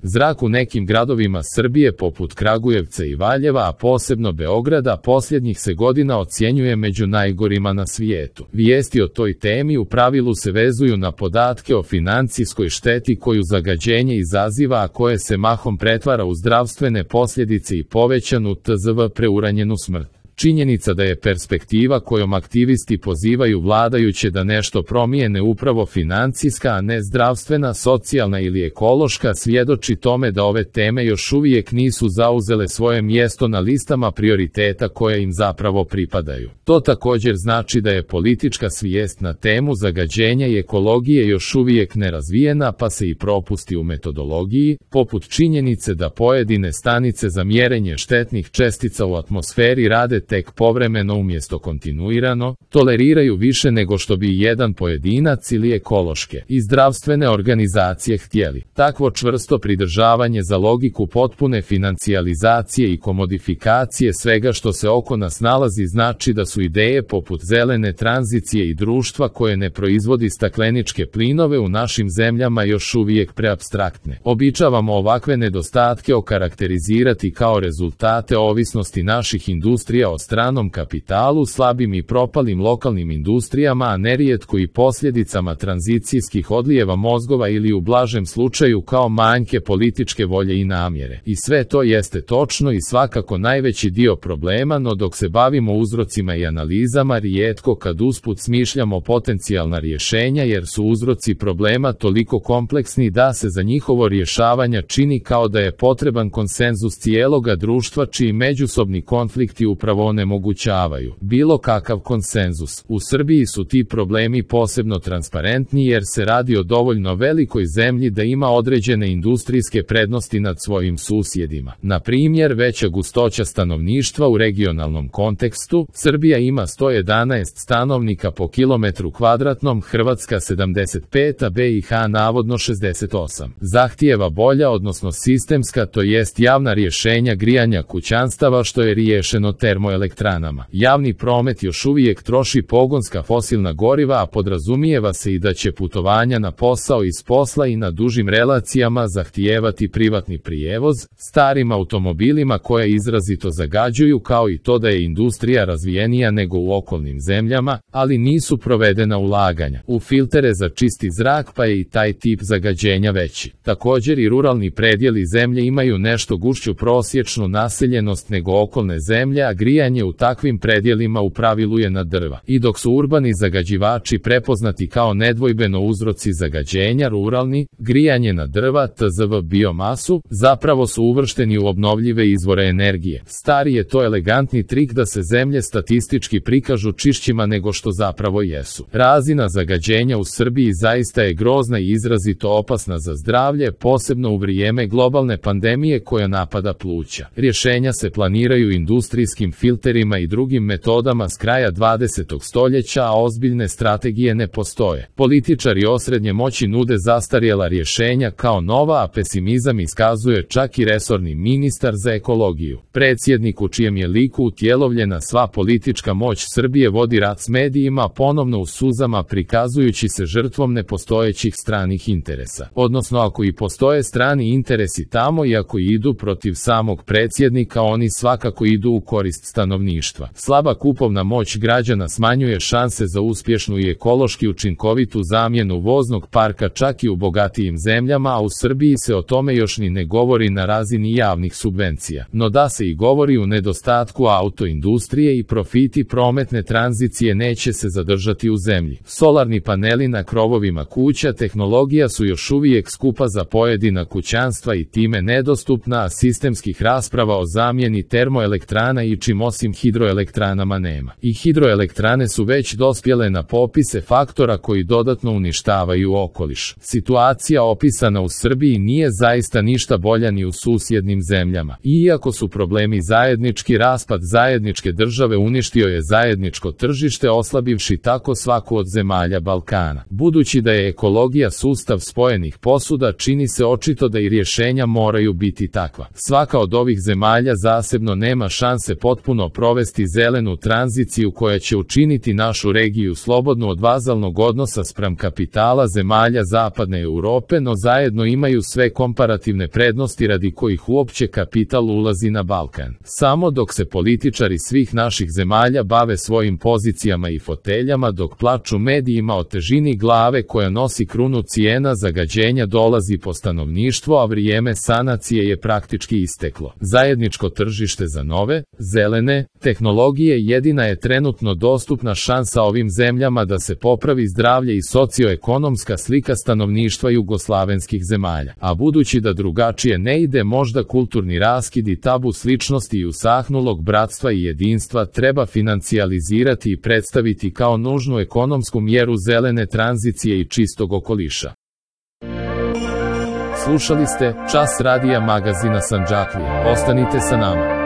Zrak u nekim gradovima Srbije poput Kragujevca i Valjeva, a posebno Beograda, posljednjih se godina ocjenjuje među najgorima na svijetu. Vijesti o toj temi u pravilu se vezuju na podatke o financijskoj šteti koju zagađenje izaziva, a koje se mahom pretvara u zdravstvene posljedice i povećanu tzv. Preuranjenu smrt. Činjenica da je perspektiva kojom aktivisti pozivaju vladajuće da nešto promijene upravo financijska, a ne zdravstvena, socijalna ili ekološka, svjedoči tome da ove teme još uvijek nisu zauzele svoje mjesto na listama prioriteta koje im zapravo pripadaju. To također znači da je politička svijest na temu zagađenja i ekologije još uvijek nerazvijena, pa se i propusti u metodologiji, poput činjenice da pojedine stanice za mjerenje štetnih čestica u atmosferi rade tek povremeno umjesto kontinuirano, toleriraju više nego što bi jedan pojedinac ili ekološke i zdravstvene organizacije htjeli. Takvo čvrsto pridržavanje za logiku potpune financijalizacije i komodifikacije svega što se oko nas nalazi znači da su ideje poput zelene tranzicije i društva koje ne proizvodi stakleničke plinove u našim zemljama još uvijek preapstraktne. Običavamo ovakve nedostatke okarakterizirati kao rezultate ovisnosti naših industrija o stranom kapitalu, slabim i propalim lokalnim industrijama, a nerijetko i posljedicama tranzicijskih odlijeva mozgova ili u blažem slučaju kao manjke političke volje i namjere. I sve to jeste točno i svakako najveći dio problema, no dok se bavimo uzrocima i analizama, rijetko kad usput smišljamo potencijalna rješenja jer su uzroci problema toliko kompleksni da se za njihovo rješavanje čini kao da je potreban konsenzus cijeloga društva čiji međusobni konflikti upravo onemogućavaju bilo kakav konsenzus. U Srbiji su ti problemi posebno transparentni jer se radi o dovoljno velikoj zemlji da ima određene industrijske prednosti nad svojim susjedima. Na primjer, veća gustoća stanovništva u regionalnom kontekstu, Srbija ima 111 stanovnika po kilometru kvadratnom, Hrvatska 75, a BiH navodno 68. Zahtijeva bolja, odnosno sistemska, to jest javna rješenja grijanja kućanstava što je riješeno termoelektranama. Javni promet još uvijek troši pogonska fosilna goriva, a podrazumijeva se i da će putovanja na posao iz posla i na dužim relacijama zahtijevati privatni prijevoz, starim automobilima koje izrazito zagađuju, kao i to da je industrija razvijenija nego u okolnim zemljama, ali nisu provedena ulaganja u filtere za čisti zrak, pa je i taj tip zagađenja veći. Također i ruralni predjeli zemlje imaju nešto gušću prosječnu naseljenost nego okolne zemlje, a grijanje u takvim predjelima u pravilu je na drva. I dok su urbani zagađivači prepoznati kao nedvojbeno uzroci zagađenja, ruralni, grijanje na drva, tzv. biomasu, zapravo su uvršteni u obnovljive izvore energije. Stari je to elegantni trik da se zemlje statistički prikažu čišćima nego što zapravo jesu. Razina zagađenja u Srbiji zaista je grozna i izrazito opasna za zdravlje, posebno u vrijeme globalne pandemije koja napada pluća. Rješenja se planiraju industrijskim filterima i drugim metodama s kraja 20. stoljeća, a ozbiljne strategije ne postoje. Političari osrednje moći nude zastarjela rješenja kao nova, a pesimizam iskazuje čak i resorni ministar za ekologiju. Predsjednik u čijem je liku utjelovljena sva politička moć Srbije vodi rat s medijima, ponovno u suzama prikazujući se žrtvom nepostojećih stranih interesa. Odnosno, ako i postoje strani interesi tamo i ako idu protiv samog predsjednika, oni svakako idu u korist stanovništva. Slaba kupovna moć građana smanjuje šanse za uspješnu i ekološki učinkovitu zamjenu voznog parka čak i u bogatijim zemljama, a u Srbiji se o tome još ni ne govori na razini javnih subvencija. No da se i govori, u nedostatku autoindustrije i profiti prometne tranzicije neće se zadržati u zemlji. Solarni paneli na krovovima kuća tehnologija su još uvijek skupa za pojedina kućanstva i time nedostupna, a sistemskih rasprava o zamjeni termoelektrana i čim osim hidroelektranama nema. I hidroelektrane su već dospjele na popise faktora koji dodatno uništavaju okoliš. Situacija opisana u Srbiji nije zaista ništa bolja ni u susjednim zemljama. Iako su problemi zajednički, raspad zajedničke države uništio je zajedničko tržište, oslabivši tako svaku od zemalja Balkana. Budući da je ekologija sustav spojenih posuda, čini se očito da i rješenja moraju biti takva. Svaka od ovih zemalja zasebno nema šanse potpuno potpuno provesti zelenu tranziciju koja će učiniti našu regiju slobodnu od vazalnog odnosa spram kapitala zemalja Zapadne Europe, no zajedno imaju sve komparativne prednosti radi kojih uopće kapital ulazi na Balkan. Samo dok se političari svih naših zemalja bave svojim pozicijama i foteljama, dok plaču medijima o težini glave koja nosi krunu cijena zagađenja dolazi po stanovništvo, a vrijeme sanacije je praktički isteklo. Zajedničko tržište za nove, zelene tehnologije jedina je trenutno dostupna šansa ovim zemljama da se popravi zdravlje i socioekonomska slika stanovništva jugoslavenskih zemalja. A budući da drugačije ne ide, možda kulturni raskid i tabu sličnosti i usahnulog bratstva i jedinstva treba financijalizirati i predstaviti kao nužnu ekonomsku mjeru zelene tranzicije i čistog okoliša. Slušali ste Čas radija magazina Sandžaklija. Ostanite sa nama.